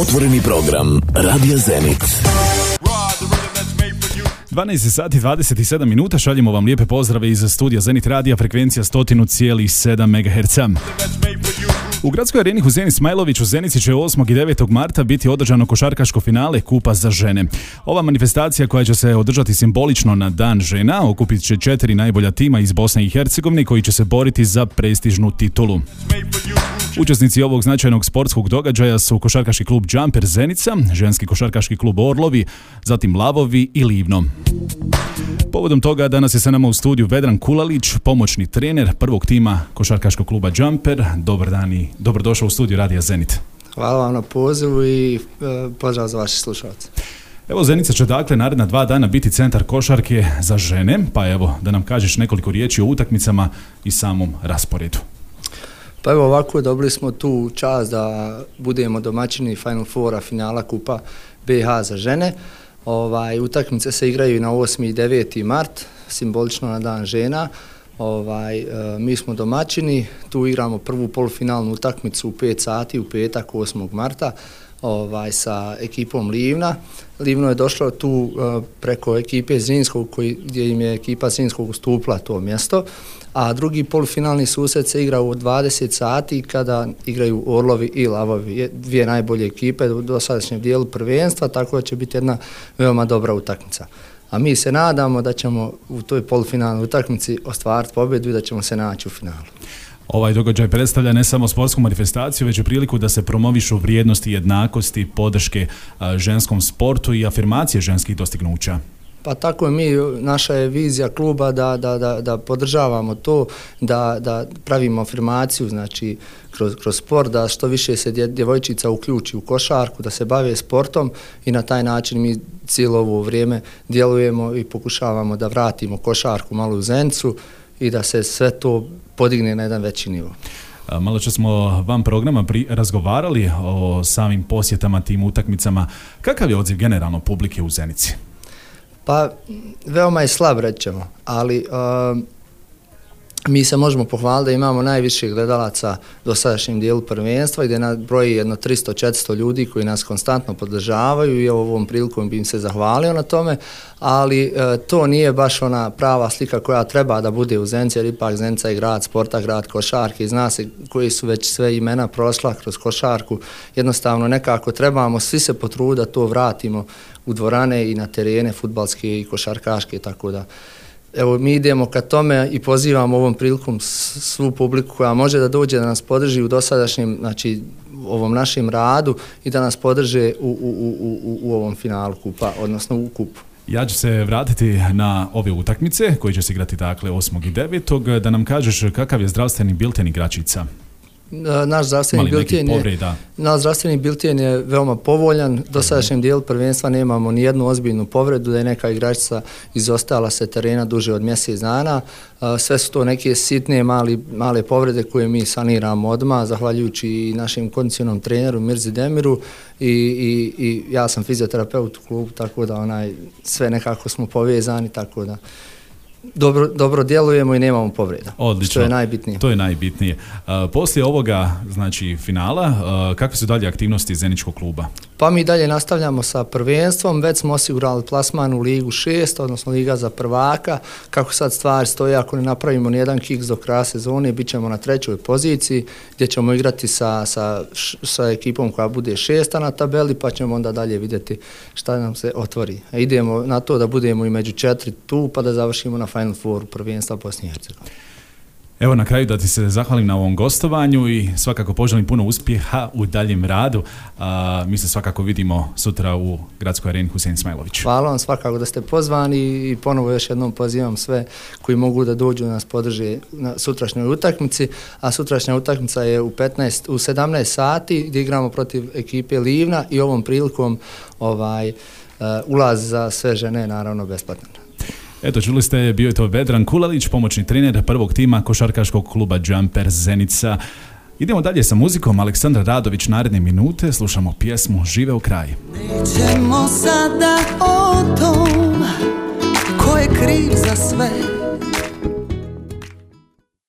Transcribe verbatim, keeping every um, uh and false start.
Otvoreni program Radija Zenit. dvanaest sati dvadeset sedam minuta, šaljemo vam lijepe pozdrave iz studija Zenit radija, frekvencija sto zarez sedam megaherca. U gradskoj areni Husein Ismailović u Zenici će osmog i devetog marta biti održano košarkaško finale Kupa za žene. Ova manifestacija koja će se održati simbolično na Dan žena okupit će četiri najbolja tima iz Bosne i Hercegovine koji će se boriti za prestižnu titulu. Učesnici ovog značajnog sportskog događaja su košarkaški klub Jumper Zenica, ženski košarkaški klub Orlovi, zatim Lavovi i Livno. Povodom toga danas je sa nama u studiju Vedran Kulalić, pomoćni trener prvog tima košarkaškog kluba Jumper. Dobar dan i dobrodošao u studiju Radija Zenit. Hvala vam na pozivu i e, pozdrav za vaše slušalce. Evo, Zenica će dakle naredna dva dana biti centar košarke za žene, pa evo da nam kažeš nekoliko riječi o utakmicama i samom rasporedu. Pa evo ovako, dobili smo tu čast da budemo domaćini Final Foura finala Kupa B H za žene. Ovaj, utakmice se igraju na osmi i deveti mart, simbolično na Dan žena. Ovaj, e, mi smo domaćini, tu igramo prvu polufinalnu utakmicu u pet sati u petak osmog marta ovaj, sa ekipom Livna. Livno je došlo tu e, preko ekipe Zrinskog, koji, gdje im je ekipa Zrinskog ustupila to mjesto, a drugi polufinalni susret se igra u dvadeset sati kada igraju Orlovi i Lavovi, dvije najbolje ekipe u dosadašnjem dijelu prvenstva, tako da će biti jedna veoma dobra utakmica. A mi se nadamo da ćemo u toj polufinalnoj utakmici ostvariti pobjedu i da ćemo se naći u finalu. Ovaj događaj predstavlja ne samo sportsku manifestaciju, već i priliku da se promovišu vrijednosti jednakosti, podrške ženskom sportu i afirmacije ženskih dostignuća. Pa tako je, mi, naša je vizija kluba da, da, da, da podržavamo to, da, da pravimo afirmaciju, znači kroz, kroz sport, da što više se djevojčica uključi u košarku, da se bave sportom i na taj način mi cijelo ovo vrijeme djelujemo i pokušavamo da vratimo košarku malo u Zenicu i da se sve to podigne na jedan veći nivo. Malo čas smo vam programa pri, razgovarali o samim posjetama, tim utakmicama. Kakav je odziv generalno publike u Zenici? Pa, veoma je slab, rećemo, ali uh, mi se možemo pohvaliti da imamo najviše gledalaca do sadašnjem dijelu prvenstva, gdje nas broji jedno tristo do četiristo ljudi koji nas konstantno podržavaju i ovom prilikom bi im se zahvalio na tome, ali uh, to nije baš ona prava slika koja treba da bude u Zenici, jer ipak Zenica je grad sporta, grad košarke i zna se koji su već sve imena prošla kroz košarku. Jednostavno nekako trebamo svi se potruditi da to vratimo u dvorane i na terene fudbalske i košarkaške, tako da evo mi idemo ka tome i pozivamo ovom prilikom svu publiku koja može da dođe da nas podrži u dosadašnjem, znači ovom našem radu i da nas podrže u, u, u, u, u ovom finalu kupa, odnosno u kupu. Ja ću se vratiti na ove utakmice koji će se igrati dakle osmog i devetog Da nam kažeš kakav je zdravstveni bilten igračica? Naš zdravstveni bilten je, naš zdravstveni bilten je veoma povoljan. Do sadašnjem dijelu prvenstva nemamo ni jednu ozbiljnu povredu, da je neka igračica izostala se terena duže od mjesec dana. Sve su to neke sitne mali, male povrede koje mi saniramo odmah, zahvaljujući i našem kondicionom treneru Mirzi Demiru i, i, i ja sam fizioterapeut u klubu, tako da onaj, sve nekako smo povezani, tako da Dobro, dobro djelujemo i nemamo povreda. Odlično. Što je najbitnije. To je najbitnije. Uh, poslije ovoga, znači finala, uh, kakve su dalje aktivnosti Zeničkog kluba? Pa mi dalje nastavljamo sa prvenstvom, već smo osigurali plasman u Ligu šest, odnosno Liga za prvaka. Kako sad stvari stoje, ako ne napravimo nijedan kiks do kraja sezone, bit ćemo na trećoj poziciji, gdje ćemo igrati sa, sa, sa ekipom koja bude šesta na tabeli, pa ćemo onda dalje vidjeti šta nam se otvori. A idemo na to da budemo i među četiri tu, pa da završimo na Final Four prvenstva Bosne i Hercegovine. Evo na kraju da ti se zahvalim na ovom gostovanju i svakako poželim puno uspjeha u daljem radu. A, mi se svakako vidimo sutra u gradskoj areni Husein Ismailović. Hvala vam svakako da ste pozvani i ponovo još jednom pozivam sve koji mogu da dođu nas podrže na sutrašnjoj utakmici, a sutrašnja utakmica je u, petnaest, u sedamnaest sati gdje igramo protiv ekipe Livna i ovom prilikom ovaj, uh, ulaz za sve žene naravno besplatan. Eto, čuli ste, bio je to Vedran Kulalić, pomoćni trener prvog tima košarkaškog kluba Jumper Zenica. Idemo dalje sa muzikom. Aleksandar Radović, naredne minute, slušamo pjesmu Žive u kraj. Nećemo sada o tom ko je kriv za sve,